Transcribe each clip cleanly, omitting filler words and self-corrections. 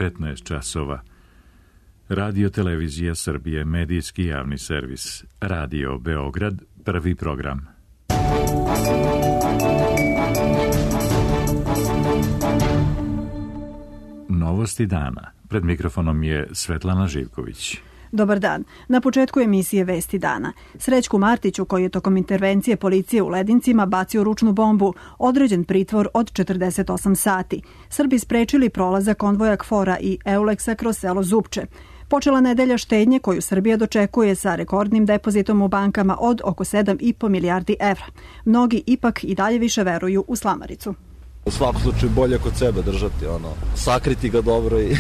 15 časova. Radio Televizija Srbije, medijski javni servis. Radio Beograd, prvi program. Novosti dana. Pred mikrofonom je Svetlana Živković. Dobar dan. Na početku emisije Vesti dana. Srećku Martiću, koji je tokom intervencije policije u Ledincima bacio ručnu bombu, određen pritvor od 48 sati. Srbi sprečili prolazak konvoja KFOR-a i Euleksa kroz selo Zupče. Počela nedelja štednje koju Srbija dočekuje sa rekordnim depozitom u bankama od oko 7,5 milijardi evra. Mnogi ipak i dalje više veruju u slamaricu. U svakom slučaju bolje kod sebe držati, sakriti ga dobro i...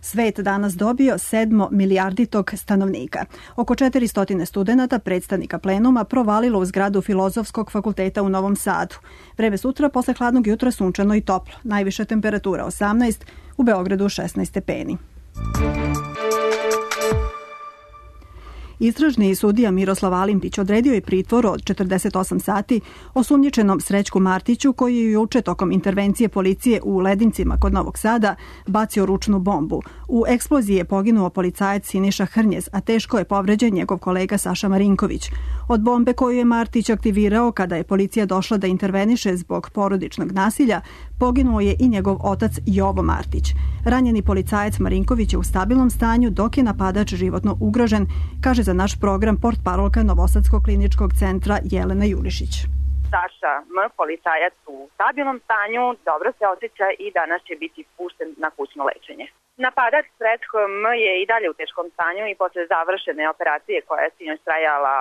Svet danas dobio 7 milijarditog stanovnika. Oko 400 studenata, predstavnika plenuma, provalilo u zgradu Filozofskog fakulteta u Novom Sadu. Vreme sutra posle hladnog jutra sunčano i toplo. Najviša temperatura 18, u Beogradu 16 stepeni. Istražni sudija Miroslav Alimpić odredio je pritvor od 48 sati osumnjičenom Srećku Martiću, koji je juče tokom intervencije policije u Ledincima kod Novog Sada bacio ručnu bombu. U eksploziji je poginuo policajac Siniša Hrnjez, a teško je povređen njegov kolega Saša Marinković. Od bombe koju je Martić aktivirao kada je policija došla da interveniše zbog porodičnog nasilja, poginuo je i njegov otac Jovo Martić. Ranjeni policajac Marinković je u stabilnom stanju, dok je napadač životno ugrožen, kaže za naš program portparolka Novosadskog kliničkog centra Jelena Julišić. Saša M, policajac u stabilnom stanju, dobro se osjeća i danas će biti pušten na kućno lečenje. Napadač Srećko M je i dalje u teškom stanju i posle završene operacije koja je sinoć trajala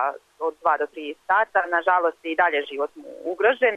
od 2 do 3 sata, nažalost i dalje život mu ugrožen.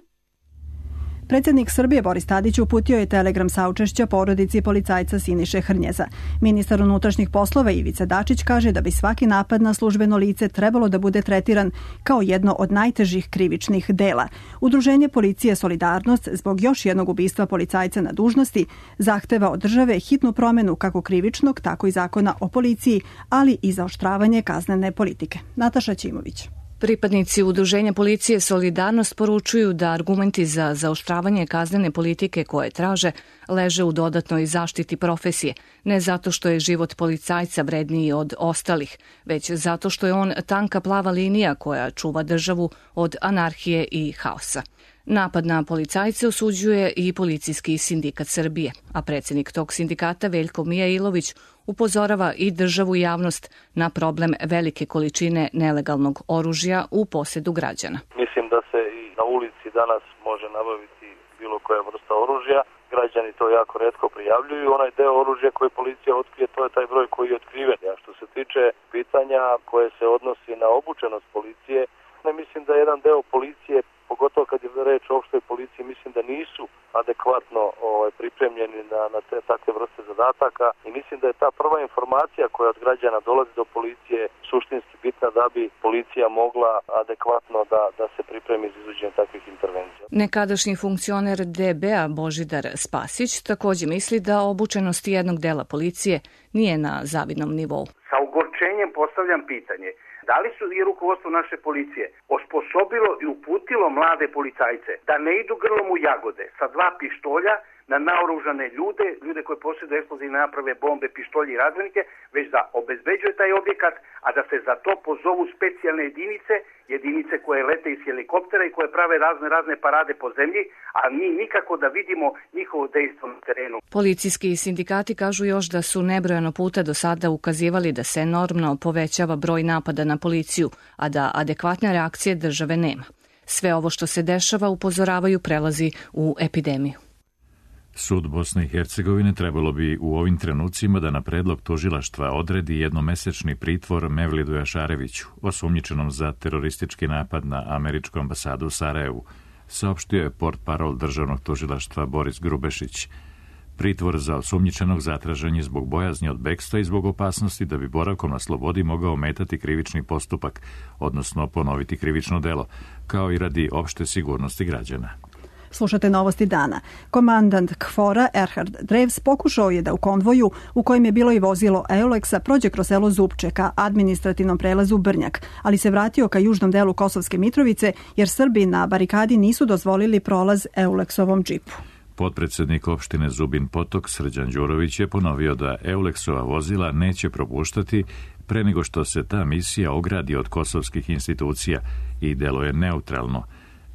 Predsjednik Srbije Boris Tadić uputio je telegram saučešća porodici policajca Siniše Hrnjeza. Ministar unutrašnjih poslova Ivica Dačić kaže da bi svaki napad na službeno lice trebalo da bude tretiran kao jedno od najtežih krivičnih dela. Udruženje Policije Solidarnost zbog još jednog ubistva policajca na dužnosti zahteva od države hitnu promenu kako krivičnog, tako i zakona o policiji, ali i zaoštravanje kaznene politike. Nataša Ćimović. Pripadnici Udruženja Policije Solidarnost poručuju da argumenti za zaoštravanje kaznene politike koje traže leže u dodatnoj zaštiti profesije, ne zato što je život policajca vredniji od ostalih, već zato što je on tanka plava linija koja čuva državu od anarhije i haosa. Napad na policajce osuđuje i Policijski sindikat Srbije, a predsjednik tog sindikata Veljko Mijailović upozorava i državu i javnost na problem velike količine nelegalnog oružja u posjedu građana. Mislim da se i na ulici danas može nabaviti bilo koja vrsta oružja. Građani to jako retko prijavljuju. Onaj deo oružja koji policija otkrije, to je taj broj koji je otkriven. A što se tiče pitanja koje se odnosi na obučenost policije, ne mislim da jedan deo policije, pogotovo kad je reč o opštoj policiji, mislim da nisu adekvatno pripremljeni na te takve vrste zadataka i mislim da je ta prva informacija koja od građana dolazi do policije suštinski bitna da bi policija mogla adekvatno da se pripremi za izvođenje takvih intervencija. Nekadašnji funkcioner DB-a Božidar Spasić također misli da obučenost jednog dela policije nije na zavidnom nivou. Sa ogorčenjem postavljam pitanje: da li su i rukovodstvo naše policije osposobilo i uputilo mlade policajce da ne idu grlom u jagode sa 2 pištolja na naoružane ljude koji posjeduju eksplozivne naprave, bombe, pištolje i razbojnike, već da obezbeđuje taj objekat, a da se za to pozovu specijalne jedinice koje lete iz helikoptera i koje prave razne parade po zemlji, a mi nikako da vidimo njihovo dejstvo na terenu. Policijski sindikati kažu još da su nebrojano puta do sada ukazivali da se enormno povećava broj napada na policiju, a da adekvatne reakcije države nema. Sve ovo što se dešava, upozoravaju, prelazi u epidemiju. Sud Bosne i Hercegovine trebalo bi u ovim trenucima da na predlog tužilaštva odredi jednomesečni pritvor Mevlidu Jašareviću, osumnjičenom za teroristički napad na američku ambasadu u Sarajevu, saopštio je portparol državnog tužilaštva Boris Grubešić. Pritvor za osumnjičenog zatražen je zbog bojazni od bekstva i zbog opasnosti da bi boravkom na slobodi mogao ometati krivični postupak, odnosno ponoviti krivično delo, kao i radi opšte sigurnosti građana. Slušate Novosti dana. Komandant KFOR-a Erhard Drevs pokušao je da u konvoju, u kojem je bilo i vozilo Euleksa, prođe kroz selo Zupče ka administrativnom prelazu Brnjak, ali se vratio ka južnom delu Kosovske Mitrovice jer Srbi na barikadi nisu dozvolili prolaz Euleksovom džipu. Potpredsednik opštine Zubin Potok Srđan Đurović je ponovio da Eulexova vozila neće propuštati pre nego što se ta misija ogradi od kosovskih institucija i deluje neutralno.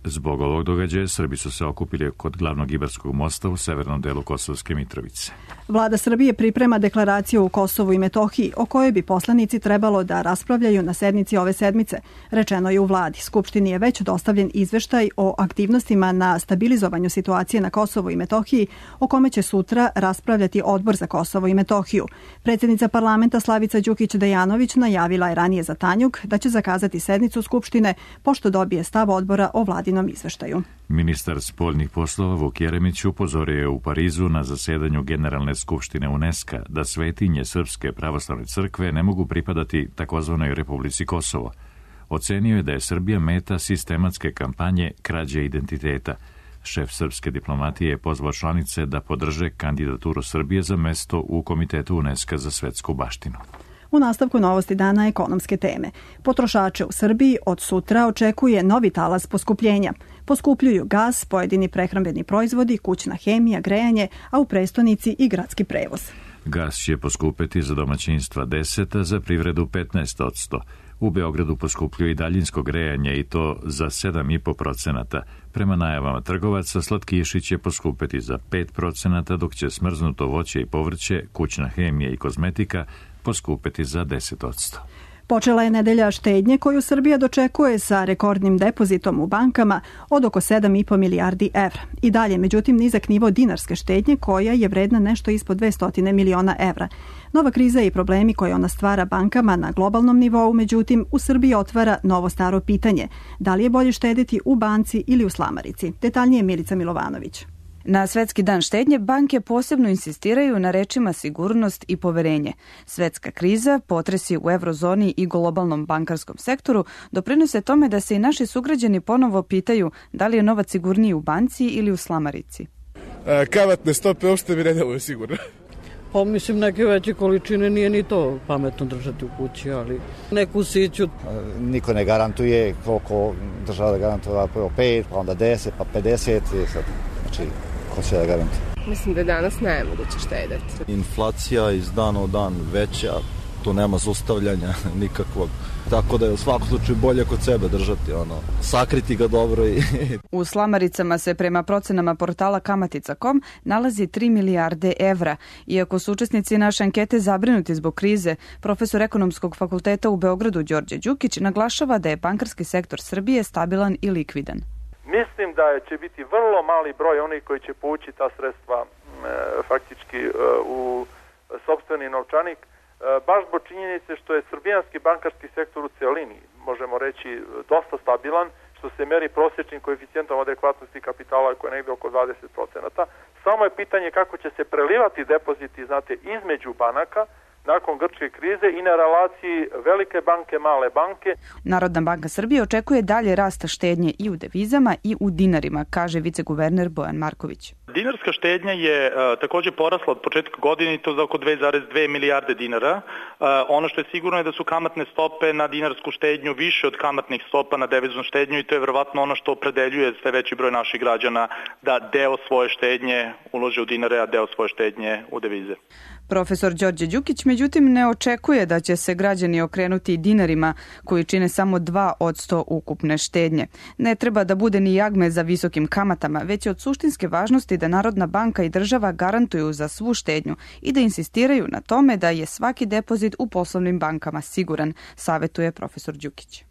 Zbog ovog događaja Srbi su se okupili kod glavnog Ibarskog mosta u severnom delu Kosovske Mitrovice. Vlada Srbije priprema deklaraciju u Kosovu i Metohiji, o kojoj bi poslanici trebalo da raspravljaju na sednici ove sedmice. Rečeno je u vladi. Skupštini je već dostavljen izveštaj o aktivnostima na stabilizovanju situacije na Kosovu i Metohiji, o kome će sutra raspravljati Odbor za Kosovo i Metohiju. Predsjednica parlamenta Slavica Đukić-Dejanović najavila je ranije za Tanjug da će zakazati sednicu Skupštine pošto dobije stav odbora o vladinom izveštaju. Ministar spoljnih poslova Vuk Jeremić upozorio je u Parizu na zasedanju Generalne skupštine UNESCO da svetinje Srpske pravoslavne crkve ne mogu pripadati takozvanoj Republici Kosovo. Ocenio je da je Srbija meta sistematske kampanje krađe identiteta. Šef srpske diplomatije je pozvao članice da podrže kandidaturu Srbije za mesto u Komitetu UNESCO za svetsku baštinu. U nastavku novosti dana ekonomske teme. Potrošače u Srbiji od sutra očekuje novi talas poskupljenja. Poskupljuju gas, pojedini prehrambeni proizvodi, kućna hemija, grejanje, a u prestonici i gradski prevoz. Gas će poskupeti za domaćinstva 10%, a za privredu 15%. U Beogradu poskupljuju i daljinsko grejanje i to za 7,5%. Prema najavama trgovaca, slatkiši će poskupeti za 5%, dok će smrznuto voće i povrće, kućna hemija i kozmetika poskupeti za 10%. Počela je nedelja štednje koju Srbija dočekuje sa rekordnim depozitom u bankama od oko 7,5 milijardi evra. I dalje, međutim, nizak nivo dinarske štednje koja je vredna nešto ispod 200 miliona evra. Nova kriza i problemi koje ona stvara bankama na globalnom nivou, međutim, u Srbiji otvara novo staro pitanje. Da li je bolje štediti u banci ili u slamarici? Detaljnije Milica Milovanović. Na Svetski dan štednje banke posebno insistiraju na rečima sigurnost i poverenje. Svetska kriza, potresi u eurozoni i globalnom bankarskom sektoru doprinose tome da se i naši sugrađani ponovo pitaju da li je novac sigurniji u banci ili u slamarici. Kamatne stope uopšte mi ne deluju sigurno. Pa mislim neke veće količine nije ni to pametno držati u kući, ali neku siću. Niko ne garantuje koliko država da garantuje 5, pa onda 10, pa 50. Znači, ko će da garantuje? Mislim da danas nemoguće štedeti. Inflacija iz dana u dan veća, tu nema zaustavljanja nikakvog. Tako da je u svakom slučaju bolje kod sebe držati, sakriti ga dobro. U slamaricama se prema procenama portala Kamatica.com nalazi 3 milijarde evra. Iako su učesnici naše ankete zabrinuti zbog krize, profesor Ekonomskog fakulteta u Beogradu Đorđe Đukić naglašava da je bankarski sektor Srbije stabilan i likvidan. Mislim da će biti vrlo mali broj onih koji će povući ta sredstva faktički u sopstveni novčanik, baš zbog činjenice što je srbijanski bankarski sektor u celini, možemo reći, dosta stabilan, što se meri prosječnim koeficijentom adekvatnosti kapitala koji je negde oko 20%. Samo je pitanje kako će se prelivati depoziti, između banaka, nakon grčke krize i na relaciji velike banke, male banke. Narodna banka Srbije očekuje dalje rasta štednje i u devizama i u dinarima, kaže viceguverner Bojan Marković. Dinarska štednja je također porasla od početka godine i to za oko 2,2 milijarde dinara. Ono što je sigurno je da su kamatne stope na dinarsku štednju više od kamatnih stopa na deviznu štednju i to je verovatno ono što opredeljuje sve veći broj naših građana da deo svoje štednje ulože u dinare, a deo svoje štednje u devize. Profesor Đorđe Đukić međutim ne očekuje da će se građani okrenuti dinarima koji čine samo 2% ukupne štednje. Ne treba da bude ni jagme za visokim kamatama, već je od suštinske važnosti da Narodna banka i država garantuju za svu štednju i da insistiraju na tome da je svaki depozit u poslovnim bankama siguran, savetuje profesor Đukić.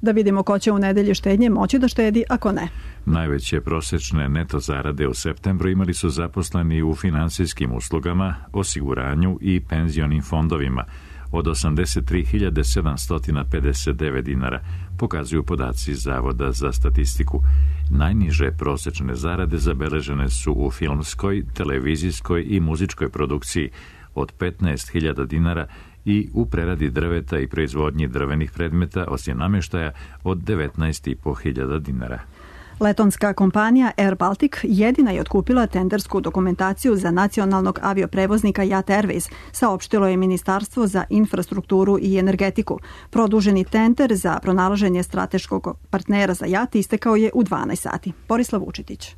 Da vidimo ko će u nedelji štednje moći da štedi, ako ne. Najveće prosječne neto zarade u septembru imali su zaposleni u finansijskim uslugama, osiguranju i penzionim fondovima od 83.759 dinara, pokazuju podaci Zavoda za statistiku. Najniže prosječne zarade zabeležene su u filmskoj, televizijskoj i muzičkoj produkciji od 15.000 dinara i u preradi drveta i proizvodnji drvenih predmeta, osim namještaja, od 19.500 dinara. Letonska kompanija Air Baltic jedina je otkupila tendersku dokumentaciju za nacionalnog avioprevoznika JAT Airways, saopštilo je Ministarstvo za infrastrukturu i energetiku. Produženi tender za pronalaženje strateškog partnera za JAT istekao je u 12 sati. Borislav Vučitić.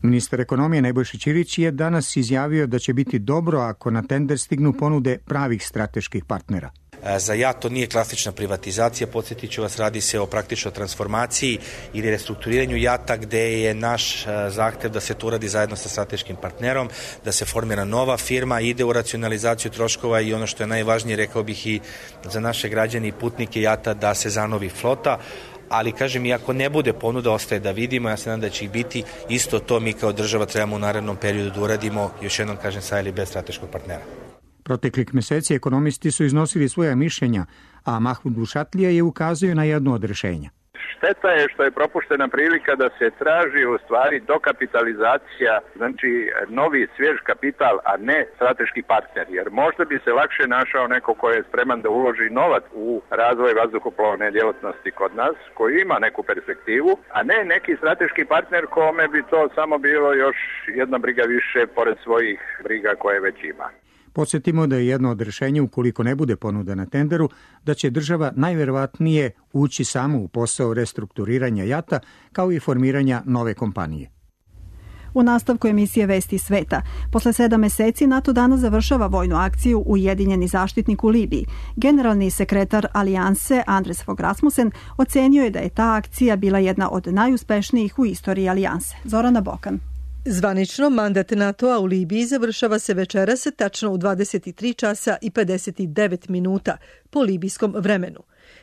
Ministar ekonomije Nebojša Ćirić je danas izjavio da će biti dobro ako na tender stignu ponude pravih strateških partnera. Za JAT to nije klasična privatizacija, podsjetit ću vas, radi se o praktičnoj transformaciji ili restrukturiranju JAT-a, gde je naš zahtev da se to uradi zajedno sa strateškim partnerom, da se formira nova firma, ide u racionalizaciju troškova i ono što je najvažnije, rekao bih i za naše građane i putnike JAT-a, da se zanovi flota. Ali, kažem, i ako ne bude ponuda, ostaje da vidimo, ja se nadam da će ih biti, isto to mi kao država trebamo u narednom periodu da uradimo, još jednom kažem, sa ili bez strateškog partnera. Proteklih meseci ekonomisti su iznosili svoja mišljenja, a Mahmud Bušatlija je ukazao na jedno od rešenja. Šteta je što je propuštena prilika da se traži u stvari dokapitalizacija, znači novi svjež kapital, a ne strateški partner, jer možda bi se lakše našao neko ko je spreman da uloži novac u razvoj vazduhoplovne djelatnosti kod nas, koji ima neku perspektivu, a ne neki strateški partner kome bi to samo bilo još jedna briga više pored svojih briga koje već ima. Podsjetimo da je jedno od rešenja, ukoliko ne bude ponuda na tenderu, da će država najverovatnije ući samo u posao restrukturiranja JAT-a kao i formiranja nove kompanije. U nastavku emisije Vesti sveta, posle 7 meseci NATO danas završava vojnu akciju Ujedinjeni zaštitnik u Libiji. Generalni sekretar Alijanse Anders Fogh Rasmussen ocenio je da je ta akcija bila jedna od najuspešnijih u istoriji Alijanse. Zorana Bokan. Zvanično, mandat NATO-a u Libiji završava se večeras tačno u 23 časa i 59 minuta po libijskom vremenu.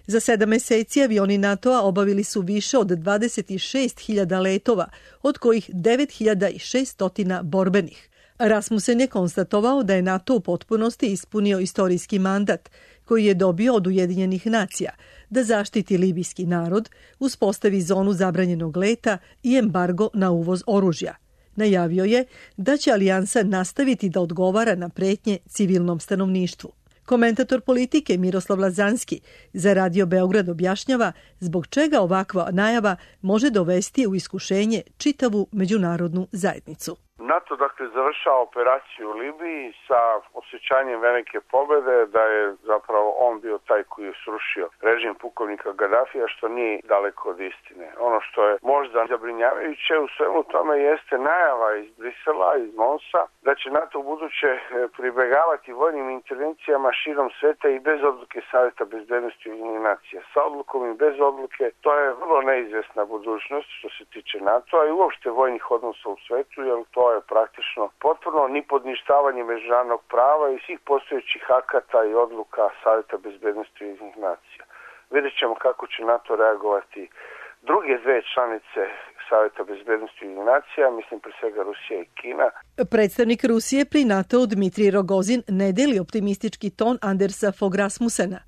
Za 7 meseci avioni NATO-a obavili su više od 26.000 letova, od kojih 9.600 borbenih. Rasmussen je konstatovao da je NATO u potpunosti ispunio istorijski mandat koji je dobio od Ujedinjenih nacija da zaštiti libijski narod, uspostavi zonu zabranjenog leta i embargo na uvoz oružja. Najavio je da će Alijansa nastaviti da odgovara na pretnje civilnom stanovništvu. Komentator politike Miroslav Lazanski za Radio Beograd objašnjava zbog čega ovakva najava može dovesti u iskušenje čitavu međunarodnu zajednicu. NATO završava operaciju u Libiji sa osjećanjem velike pobede, da je zapravo on bio taj koji je srušio režim pukovnika Gadafija, što nije daleko od istine. Ono što je možda zabrinjavajuće u svemu tome jeste najava iz Brisela, iz Monsa, da će NATO u buduće pribegavati vojnim intervencijama širom sveta i bez odluke Saveta bezbednosti Ujedinjenih nacija. Sa odlukom i bez odluke, to je vrlo neizvesna budućnost što se tiče NATO-a i uopšte vojnih odnosa u svetu, jer to je praktično potpuno nipodništavanje međunarodnog prava i svih postojećih akata i odluka Saveta bezbednosti Ujedinjenih nacija. Vidjet ćemo kako će NATO reagovati druge dve članice Saveta bezbednosti Ujedinjenih nacija, mislim pre svega Rusija i Kina. Predstavnik Rusije pri NATO-u Dmitrij Rogozin ne deli optimistički ton Andersa Fogh Rasmussena.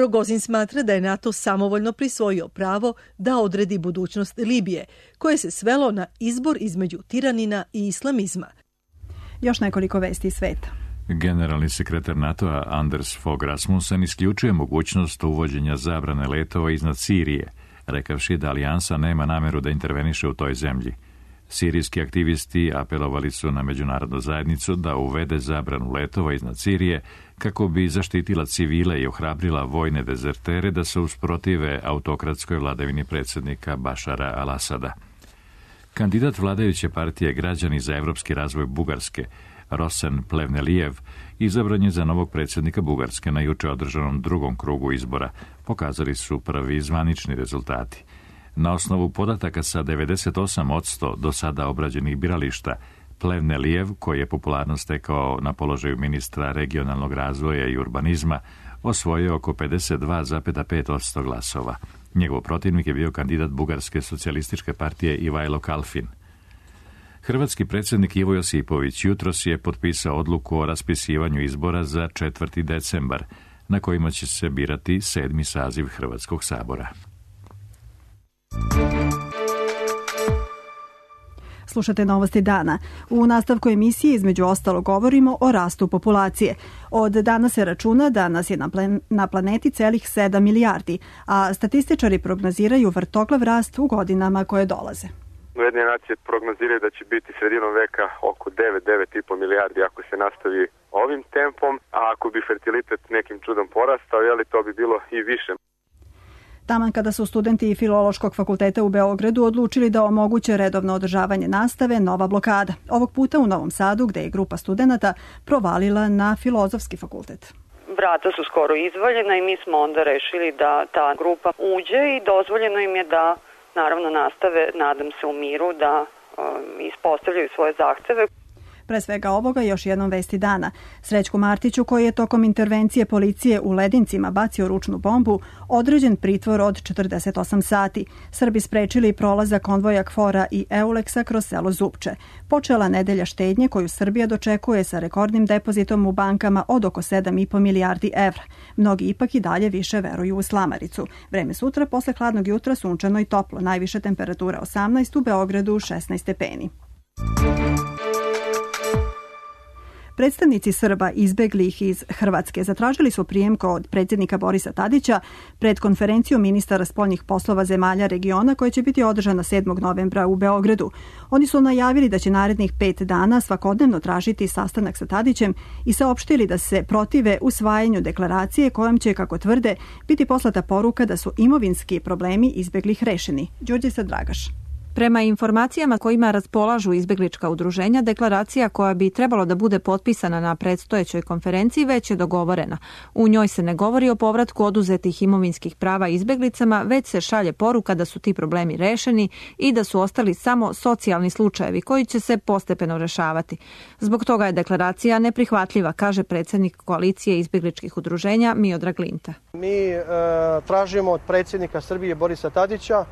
Rogozin smatra da je NATO samovoljno prisvojio pravo da odredi budućnost Libije, koje se svelo na izbor između tiranina i islamizma. Još nekoliko vesti iz sveta. Generalni sekretar NATO-a Anders Fogh Rasmussen isključuje mogućnost uvođenja zabrane letova iznad Sirije, rekavši da Alijansa nema nameru da interveniše u toj zemlji. Sirijski aktivisti apelovali su na međunarodnu zajednicu da uvede zabranu letova iznad Sirije kako bi zaštitila civile i ohrabrila vojne dezertere da se usprotive autokratskoj vladavini predsjednika Bašara al-Asada. Kandidat vladajuće partije Građani za evropski razvoj Bugarske, Rosen Plevnelijev, izabran je za novog predsjednika Bugarske na juče održanom drugom krugu izbora. Pokazali su prvi zvanični rezultati. Na osnovu podataka sa 98% do sada obrađenih birališta, Plevnelijev, koji je popularno stekao na položaju ministra regionalnog razvoja i urbanizma, osvojio oko 52,5% glasova. Njegov protivnik je bio kandidat Bugarske socijalističke partije Ivajlo Kalfin. Hrvatski predsjednik Ivo Josipović jutros je potpisao odluku o raspisivanju izbora za 4. decembar, na kojima će se birati 7. saziv Hrvatskog sabora. Slušate novosti dana. U nastavku emisije između ostalo govorimo o rastu populacije. Od dana se računa da nas je na planeti celih 7 milijardi, a statističari prognoziraju vrtoglav rast u godinama koje dolaze. Ujedinjene nacije prognoziraju da će biti sredinom veka oko 9,5 milijardi ako se nastavi ovim tempom, a ako bi fertilitet nekim čudom porastao, to bi bilo i više. Taman kada su studenti Filološkog fakulteta u Beogradu odlučili da omoguće redovno održavanje nastave, nova blokada. Ovog puta u Novom Sadu, gde je grupa studenata provalila na Filozofski fakultet. Vrata su skoro izvaljena i mi smo onda rešili da ta grupa uđe i dozvoljeno im je da naravno nastave, nadam se u miru, da ispostavljaju svoje zahteve. Pre svega ovoga još jednom vesti dana. Srećku Martiću, koji je tokom intervencije policije u Ledincima bacio ručnu bombu, određen pritvor od 48 sati. Srbi sprečili prolazak konvoja KFOR-a i Euleksa kroz selo Zupče. Počela nedelja štednje koju Srbija dočekuje sa rekordnim depozitom u bankama od oko 7,5 milijardi evra. Mnogi ipak i dalje više veruju u slamaricu. Vreme sutra, posle hladnog jutra, sunčano i toplo. Najviša temperatura 18, u Beogradu 16 stepeni. Predstavnici Srba izbeglih iz Hrvatske zatražili su prijem kod predsjednika Borisa Tadića pred konferenciju ministara spoljnih poslova zemalja regiona koja će biti održana 7. novembra u Beogradu. Oni su najavili da će narednih 5 dana svakodnevno tražiti sastanak sa Tadićem i saopštili da se protive usvajanju deklaracije kojom će, kako tvrde, biti poslata poruka da su imovinski problemi izbeglih rešeni. Đurđica Dragaš. Prema informacijama kojima raspolažu izbeglička udruženja, deklaracija koja bi trebalo da bude potpisana na predstojećoj konferenciji već je dogovorena. U njoj se ne govori o povratku oduzetih imovinskih prava izbeglicama, već se šalje poruka da su ti problemi rešeni i da su ostali samo socijalni slučajevi koji će se postepeno rešavati. Zbog toga je deklaracija neprihvatljiva, kaže predsjednik koalicije izbegličkih udruženja Miodrag Linta. Mi tražimo od predsjednika Srbije Borisa Tadića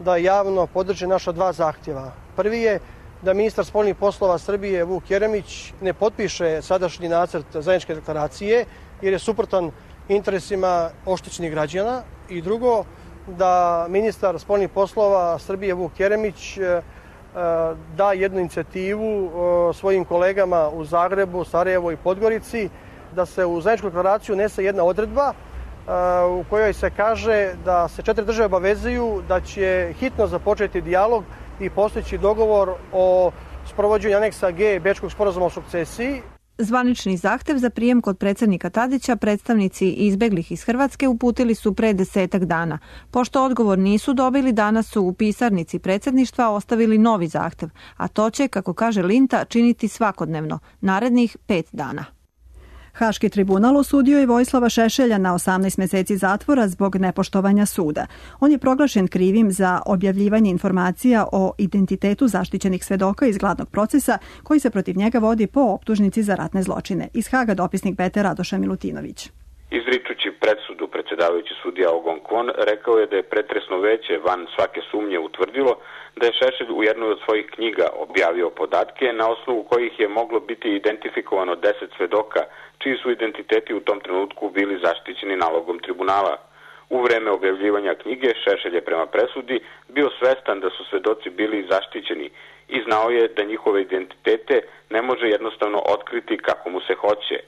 da javno podrži naša 2 zahtjeva. Prvi je da ministar spoljnih poslova Srbije Vuk Jeremić ne potpiše sadašnji nacrt zajedničke deklaracije jer je suprotan interesima oštećenih građana. I drugo, da ministar spoljnih poslova Srbije Vuk Jeremić da jednu inicijativu svojim kolegama u Zagrebu, Sarajevu i Podgorici da se u zajedničku deklaraciju unese jedna odredba u kojoj se kaže da se 4 države obavezuju da će hitno započeti dijalog i postići dogovor o sprovođenju aneksa G Bečkog sporazuma o sukcesiji. Zvanični zahtev za prijem kod predsjednika Tadića predstavnici izbeglih iz Hrvatske uputili su pre 10 dana. Pošto odgovor nisu dobili, danas su u pisarnici predsjedništva ostavili novi zahtev, a to će, kako kaže Linta, činiti svakodnevno, narednih 5 dana. Haški tribunal osudio je Vojislava Šešelja na 18 meseci zatvora zbog nepoštovanja suda. On je proglašen krivim za objavljivanje informacija o identitetu zaštićenih svedoka iz glavnog procesa koji se protiv njega vodi po optužnici za ratne zločine. Iz Haga dopisnik BT Radoša Milutinović. Izričući presudu, predsjedavajući sudija Ogon Kwon rekao je da je pretresno veće van svake sumnje utvrdilo da je Šešelj u jednoj od svojih knjiga objavio podatke na osnovu kojih je moglo biti identifikovano 10 svedoka čiji su identiteti u tom trenutku bili zaštićeni nalogom tribunala. U vreme objavljivanja knjige Šešelj je prema presudi bio svestan da su svedoci bili zaštićeni i znao je da njihove identitete ne može jednostavno otkriti kako mu se hoće.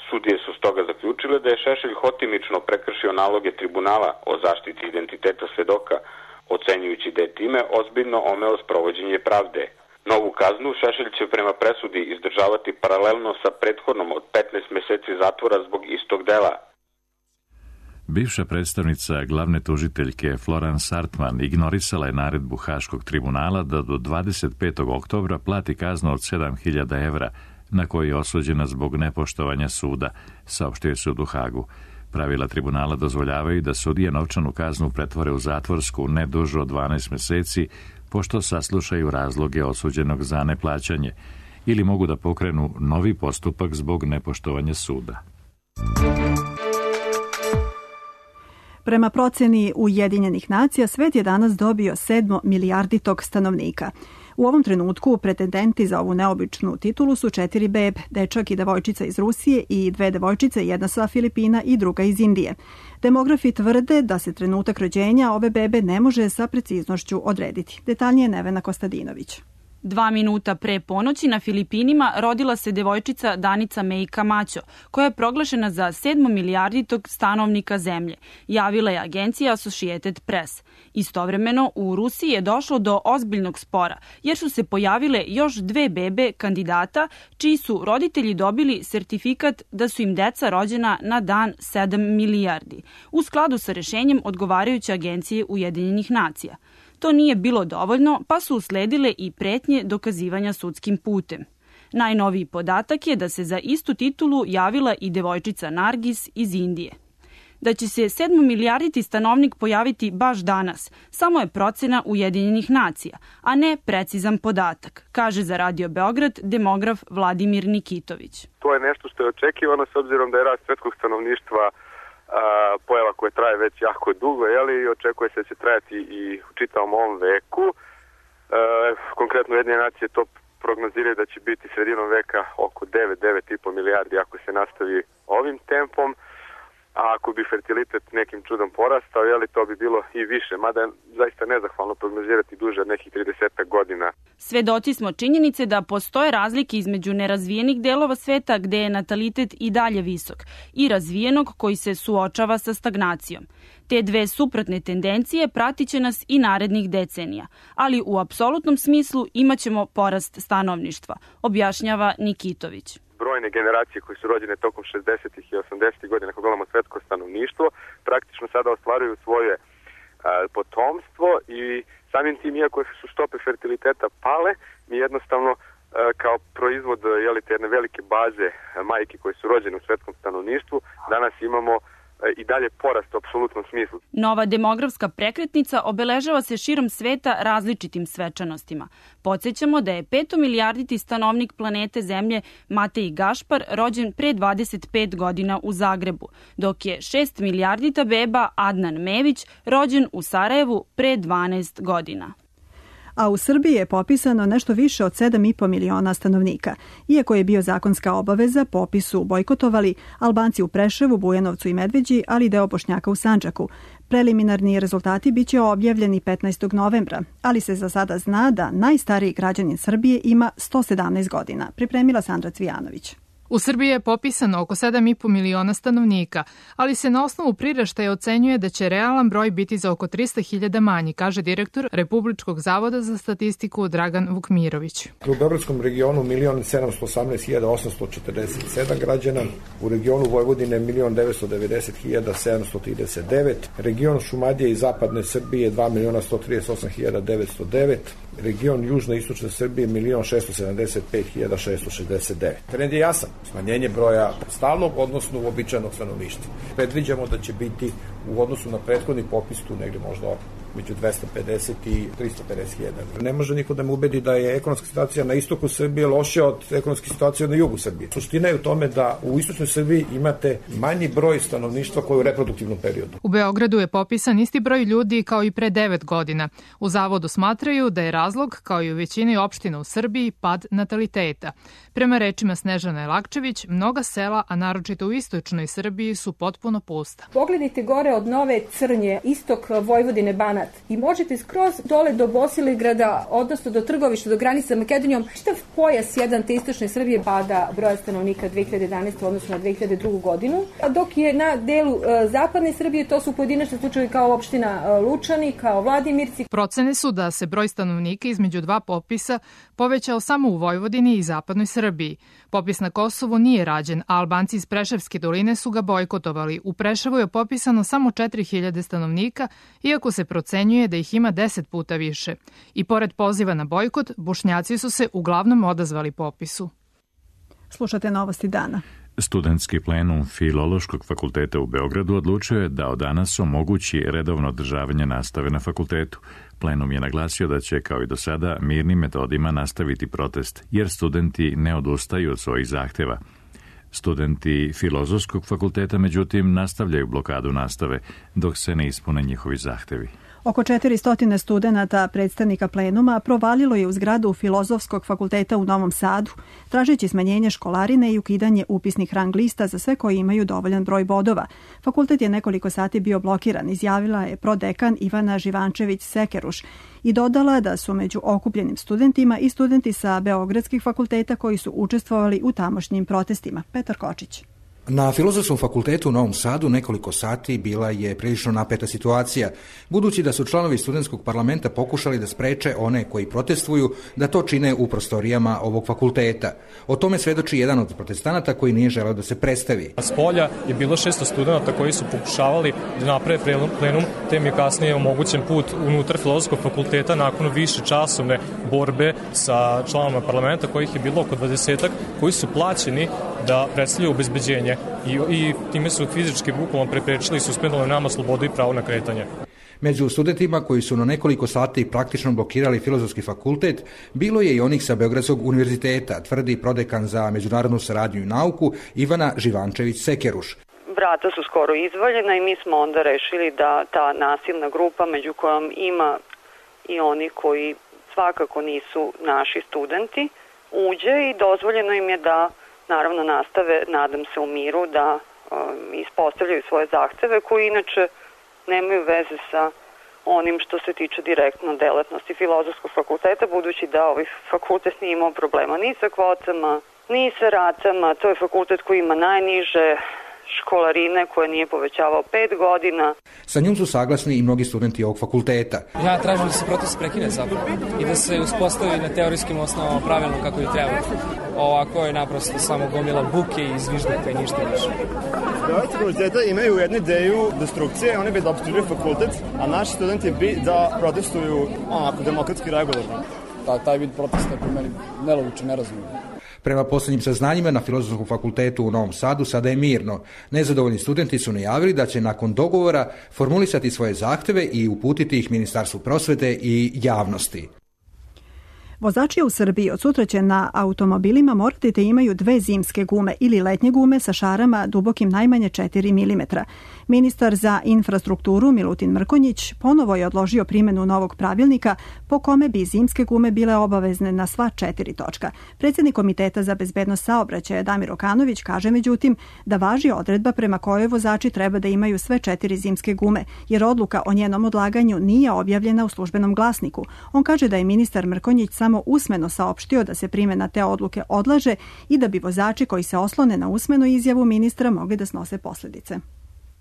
Sudije su stoga zaključile da je Šešelj hotimično prekršio naloge tribunala o zaštiti identiteta svedoka, ocenjujući da je time ozbiljno omeo sprovođenje pravde. Novu kaznu Šešelj će prema presudi izdržavati paralelno sa prethodnom od 15 meseci zatvora zbog istog dela. Bivša predstavnica glavne tužiteljke Florence Hartman ignorisala je naredbu Haškog tribunala da do 25. oktobra plati kaznu od 7.000 evra na koji je osuđena zbog nepoštovanja suda, saopštio sud u Hagu. Pravila tribunala dozvoljavaju da sudije novčanu kaznu pretvore u zatvorsku ne dužu od 12 meseci, pošto saslušaju razloge osuđenog za neplaćanje, ili mogu da pokrenu novi postupak zbog nepoštovanja suda. Prema proceni Ujedinjenih nacija, svet je danas dobio 7 milijarditog stanovnika. U ovom trenutku pretendenti za ovu neobičnu titulu su 4 bebe, dečak i devojčica iz Rusije i 2 devojčice, jedna sa Filipina i druga iz Indije. Demografi tvrde da se trenutak rođenja ove bebe ne može sa preciznošću odrediti. Detaljnije Nevena Kostadinović. 2 minuta pre ponoći na Filipinima rodila se devojčica Danica May Camacho, koja je proglašena za 7. milijarditog stanovnika zemlje, javila je agencija Associated Press. Istovremeno, u Rusiji je došlo do ozbiljnog spora, jer su se pojavile još 2 bebe kandidata, čiji su roditelji dobili sertifikat da su im deca rođena na dan 7 milijardi, u skladu sa rešenjem odgovarajuće agencije Ujedinjenih nacija. To nije bilo dovoljno, pa su usledile i pretnje dokazivanja sudskim putem. Najnoviji podatak je da se za istu titulu javila i devojčica Nargis iz Indije. Da će se 7 milijarditi stanovnik pojaviti baš danas, samo je procena Ujedinjenih nacija, a ne precizan podatak, kaže za Radio Beograd demograf Vladimir Nikitović. To je nešto što je očekivano s obzirom da je rast svetskog stanovništva pojava koja traje već jako dugo, i očekuje se da će trajati i u čitavom ovom veku. Konkretno Ujedinjene nacije to prognoziraju da će biti sredinom veka oko 9,5 milijardi ako se nastavi ovim tempom. A ako bi fertilitet nekim čudom porastao, to bi bilo i više, mada je zaista nezahvalno prognozirati duže od nekih 30 godina. Svedoci smo činjenice da postoje razlike između nerazvijenih delova sveta gde je natalitet i dalje visok i razvijenog koji se suočava sa stagnacijom. Te dve suprotne tendencije pratit će nas i narednih decenija, ali u apsolutnom smislu imaćemo porast stanovništva, objašnjava Nikitović. Brojne generacije koje su rođene tokom 60. i 80. godina, ako gledamo svetsko stanovništvo, praktično sada ostvaruju svoje potomstvo i samim tim, iako su stope fertiliteta pale, mi jednostavno kao proizvod te jedne velike baze majki koje su rođene u svetskom stanovništvu, danas imamo i dalje porast u apsolutnom smislu. Nova demografska prekretnica obeležava se širom sveta različitim svečanostima. Podsjećamo da je 5. milijarditi stanovnik planete Zemlje Matej Gašpar rođen pre 25 godina u Zagrebu, dok je 6 milijardita beba Adnan Mević rođen u Sarajevu pre 12 godina. A u Srbiji je popisano nešto više od 7,5 miliona stanovnika. Iako je bio zakonska obaveza, popis su bojkotovali Albanci u Preševu, Bujanovcu i Medveđi, ali i deo Bošnjaka u Sandžaku. Preliminarni rezultati biće objavljeni 15. novembra, ali se za sada zna da najstariji građanin Srbije ima 117 godina, pripremila Sandra Cvijanović. U Srbiji je popisano oko 7,5 miliona stanovnika, ali se na osnovu priraštaja ocenjuje da će realan broj biti za oko 300.000 manji, kaže direktor Republičkog zavoda za statistiku Dragan Vukmirović. U Beogradskom regionu 1.718.847 građana, u regionu Vojvodine 1.990.739, region Šumadije i Zapadne Srbije 2.138.909, region Južne i Istočne Srbije 1.675.669. Trend je jasan. Smanjenje broja stalnog, odnosno uobičajenog stanovništva. Predviđamo da će biti u odnosu na prethodni popis tu negde možda među 250 i 350.000. Ne može niko da me ubedi da je ekonomska situacija na istoku Srbije lošija od ekonomske situacije na jugu Srbije. Suština je u tome da u istočnoj Srbiji imate manji broj stanovništva koji je u reproduktivnom periodu. U Beogradu je popisan isti broj ljudi kao i pre 9 godina. U zavodu smatraju da je razlog, kao i u većini opština u Srbiji, pad nataliteta. Prema rečima Snežane Lakčević, mnoga sela, a naročito u istočnoj Srbiji, su potpuno pusta. Pogledajte gore od Nove Crnje, istok Vojvodine, Banat, i možete skroz dole do Bosilegrada, odnosno do Trgovišta, do granice sa Makedonijom, čitav pojas jedan te istočne Srbije pada broja stanovnika 2011. odnosno na 2002. godinu, dok je na delu zapadne Srbije, to su pojedinačni slučajevi kao opština Lučani, kao Vladimirci. Procene su da se broj stanovnika između dva popisa povećao samo u Vojvodini i zapadnoj Srbiji. Popis na Kosovu nije rađen, a Albanci iz Preševske doline su ga bojkotovali. U Preševu je popisano samo 4.000 stanovnika, iako se procenjuje da ih ima 10 puta više. I pored poziva na bojkot, Bošnjaci su se uglavnom odazvali popisu. Slušate novosti dana. Studentski plenum Filološkog fakulteta u Beogradu odlučio je da od danas omogući redovno održavanje nastave na fakultetu. Plenum je naglasio da će, kao i do sada, mirnim metodima nastaviti protest, jer studenti ne odustaju od svojih zahteva. Studenti Filozofskog fakulteta, međutim, nastavljaju blokadu nastave, dok se ne ispune njihovi zahtevi. Oko 400 studenata predstavnika plenuma provalilo je u zgradu Filozofskog fakulteta u Novom Sadu, tražeći smanjenje školarine i ukidanje upisnih rang lista za sve koji imaju dovoljan broj bodova. Fakultet je nekoliko sati bio blokiran, izjavila je prodekan Ivana Živančević-Sekeruš i dodala da su među okupljenim studentima i studenti sa beogradskih fakulteta koji su učestvovali u tamošnjim protestima. Petar Kočić. Na Filozofskom fakultetu u Novom Sadu nekoliko sati bila je prilično napeta situacija, budući da su članovi studentskog parlamenta pokušali da spreče one koji protestuju da to čine u prostorijama ovog fakulteta. O tome svedoči jedan od protestanata koji nije želeo da se predstavi. S polja je bilo 600 studenta koji su pokušavali da naprave plenum, te mi je kasnije omogućen put unutar Filozofskog fakulteta nakon više časovne borbe sa članovima parlamenta, kojih je bilo oko 20-ak, koji su plaćeni da predstavljaju obezbeđenje i time su fizički bukvalno preprečili i suspendovali nama slobodu i pravo na kretanje. Među studentima koji su na nekoliko sati praktično blokirali Filozofski fakultet, bilo je i onih sa Beogradskog univerziteta, tvrdi prodekan za međunarodnu saradnju i nauku Ivana Živančević-Sekeruš. Vrata su skoro izvaljena i mi smo onda rešili da ta nasilna grupa, među kojom ima i oni koji svakako nisu naši studenti, uđe i dozvoljeno im je da naravno nastave, nadam se u miru, da ispostavljaju svoje zahteve koji inače nemaju veze sa onim što se tiče direktno delatnosti Filozofskog fakulteta, budući da ovaj fakultet nije imao problema ni sa kvotama, ni sa ratama. To je fakultet koji ima najniže školarine koje nije povećavao 5 godina. Sa njom su saglasni i mnogi studenti ovog fakulteta. Ja tražim da se protest prekine zapravo i da se uspostavi na teorijskim osnovama pravilno kako je treba. Ovako je naprosto samo gomila buke i zviždaka i ništa više. Studenti fakulteta imaju jednu ideju destrukcije, oni bi da opstruiraju fakultet, a naši studenti bi da protestuju onako demokratski regularno. Taj vid protesta je po meni nelogičan, nerazumljiv. Prema posljednjim saznanjima na Filozofskom fakultetu u Novom Sadu sada je mirno. Nezadovoljni studenti su najavili da će nakon dogovora formulisati svoje zahteve i uputiti ih Ministarstvu prosvete i javnosti. Vozači u Srbiji od sutra će na automobilima morati da imaju 2 zimske gume ili letnje gume sa šarama dubokim najmanje 4 mm. Ministar za infrastrukturu Milutin Mrkonjić ponovo je odložio primjenu novog pravilnika po kome bi zimske gume bile obavezne na sva 4 točka. Predsjednik Komiteta za bezbednost saobraćaja Damir Okanović kaže međutim da važi odredba prema kojoj vozači treba da imaju sve 4 zimske gume, jer odluka o njenom odlaganju nije objavljena u službenom glasniku. On kaže da je ministar Mrkonjić samo usmeno saopštio da se primjena te odluke odlaže i da bi vozači koji se oslone na usmenu izjavu ministra mogli da snose posljedice.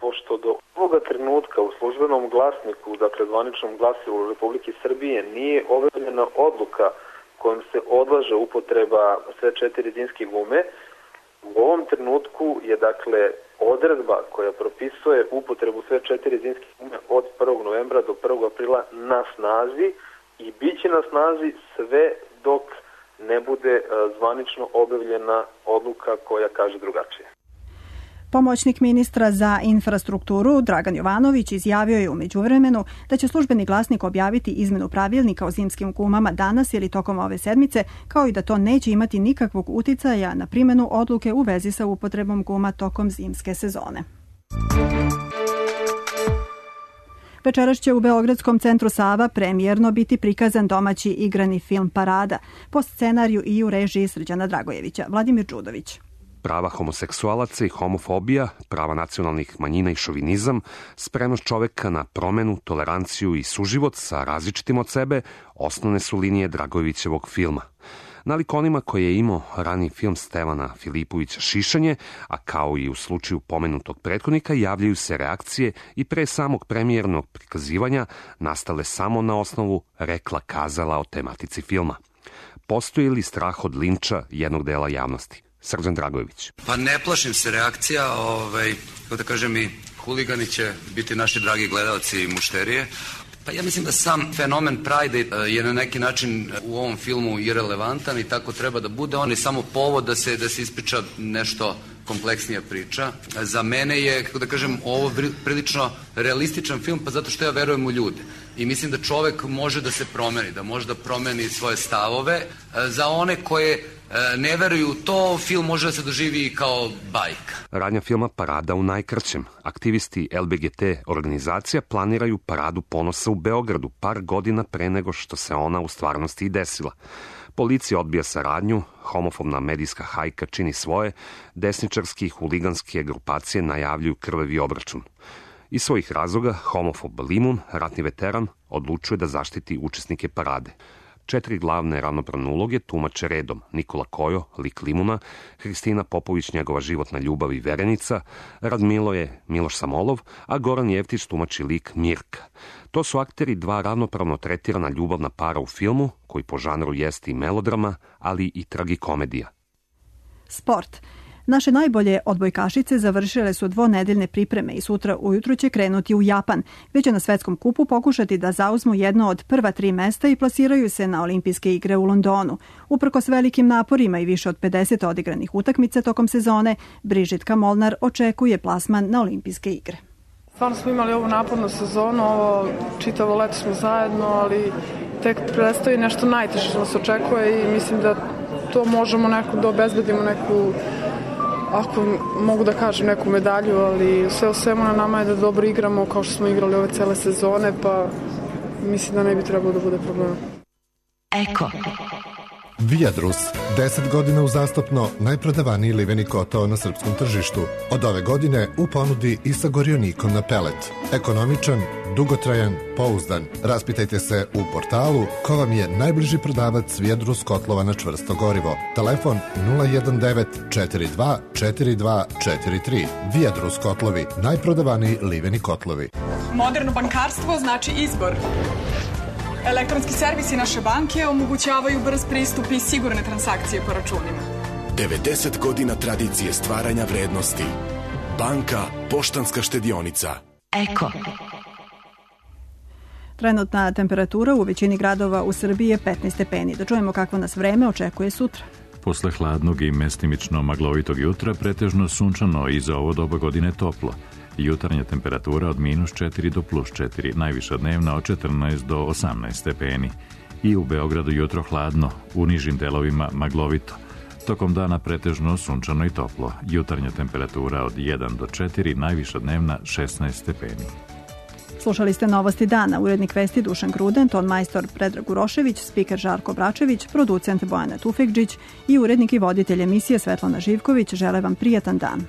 Pošto do ovoga trenutka u službenom glasniku, dakle zvaničnom glasilu Republike Srbije, nije objavljena odluka kojom se odlaže upotreba sve 4 zimske gume, u ovom trenutku je dakle odredba koja propisuje upotrebu sve 4 zimske gume od 1. novembra do 1. aprila na snazi i bit će na snazi sve dok ne bude zvanično objavljena odluka koja kaže drugačije. Pomoćnik ministra za infrastrukturu Dragan Jovanović izjavio je u međuvremenu da će službeni glasnik objaviti izmenu pravilnika o zimskim gumama danas ili tokom ove sedmice, kao i da to neće imati nikakvog uticaja na primjenu odluke u vezi sa upotrebom guma tokom zimske sezone. Večeras će u Beogradskom centru Sava premijerno biti prikazan domaći igrani film Parada po scenariju i u režiji Srđana Dragojevića. Vladimir Đudović. Prava homoseksualaca i homofobija, prava nacionalnih manjina i šovinizam, spremnost čoveka na promenu, toleranciju i suživot sa različitim od sebe, osnovne su linije Dragojevićevog filma. Nalik onima koje je imao rani film Stevana Filipovića Šišanje, a kao i u slučaju pomenutog prethodnika, javljaju se reakcije i pre samog premijernog prikazivanja nastale samo na osnovu rekla-kazala o tematici filma. Postoji li strah od linča jednog dela javnosti? Srđan Dragojević. Pa ne plašim se reakcija, kako da kažem, i huligani će biti naši dragi gledalci i mušterije. Pa ja mislim da sam fenomen Pride je na neki način u ovom filmu irelevantan i tako treba da bude. On je samo povod da se ispriča nešto kompleksnija priča. Za mene je, kako da kažem, ovo prilično realističan film, pa zato što ja verujem u ljude. I mislim da čovek može da se promeni, da može da promeni svoje stavove. Za one koje ne veruju u to, film može da se doživi kao bajka. Radnja filma Parada u najkraćem. Aktivisti LBGT organizacija planiraju Paradu ponosa u Beogradu par godina pre nego što se ona u stvarnosti i desila. Policija odbija saradnju, homofobna medijska hajka čini svoje, desničarski i huliganske grupacije najavljuju krvavi obračun. Iz svojih razloga, homofob Limun, ratni veteran, odlučuje da zaštiti učesnike parade. 4 glavne ravnopravne uloge tumače redom: Nikola Kojo, lik Limuna, Hristina Popović, njegova životna ljubav i verenica, Radmilo je Miloš Samolov, a Goran Jevtić tumači lik Mirka. To su akteri 2 ravnopravno tretirana ljubavna para u filmu, koji po žanru jeste i melodrama, ali i tragikomedija. Sport. Naše najbolje odbojkašice završile su dvonedeljne pripreme i sutra ujutru će krenuti u Japan, gde će na svetskom kupu pokušati da zauzmu jedno od prva 3 mesta i plasiraju se na olimpijske igre u Londonu. Uprkos velikim naporima i više od 50 odigranih utakmica tokom sezone, Brižitka Molnar očekuje plasman na olimpijske igre. Stvarno smo imali ovu napornu sezonu, ovo čitavo leto smo zajedno, ali tek predstoji nešto najteže što nas očekuje i mislim da to možemo da obezbedimo neku, ako mogu da kažem, neku medalju, ali sve u svemu na nama je da dobro igramo kao što smo igrali ove cele sezone, pa mislim da ne bi trebalo da bude problema. Eko. Viadrus, 10 godina uzastopno najprodavaniji liveni kotao na srpskom tržištu. Od ove godine u ponudi i sa gorionikom na pelet. Ekonomičan, dugotrajan, pouzdan. Raspitajte se u portalu ko vam je najbliži prodavac Viadrus kotlova na čvrsto gorivo. Telefon 019 42 42 43. Viadrus kotlovi, najprodavaniji liveni kotlovi. Moderno bankarstvo znači izbor. Elektronski servisi naše banke omogućavaju brz pristup i sigurne transakcije po računima. 90 godina tradicije stvaranja vrednosti. Banka Poštanska štedionica. Eko. Trenutna temperatura u većini gradova u Srbiji je 15 stepeni. Da čujemo kakvo nas vreme očekuje sutra. Posle hladnog i mestimično maglovitog jutra pretežno sunčano i za ovo doba godine toplo. Jutarnja temperatura od -4 do +4, najviša dnevna od 14 do 18 stepeni. I u Beogradu jutro hladno, u nižim delovima maglovito. Tokom dana pretežno sunčano i toplo. Jutarnja temperatura od 1 do 4, najviša dnevna 16 stepeni. Slušali ste Novosti dana, urednik vesti Dušan Gruden, ton majstor Predrag Urošević, spiker Žarko Bračević, producent Bojana Tufekđić i urednik i voditelj emisije Svetlana Živković. Žele vam prijatan dan.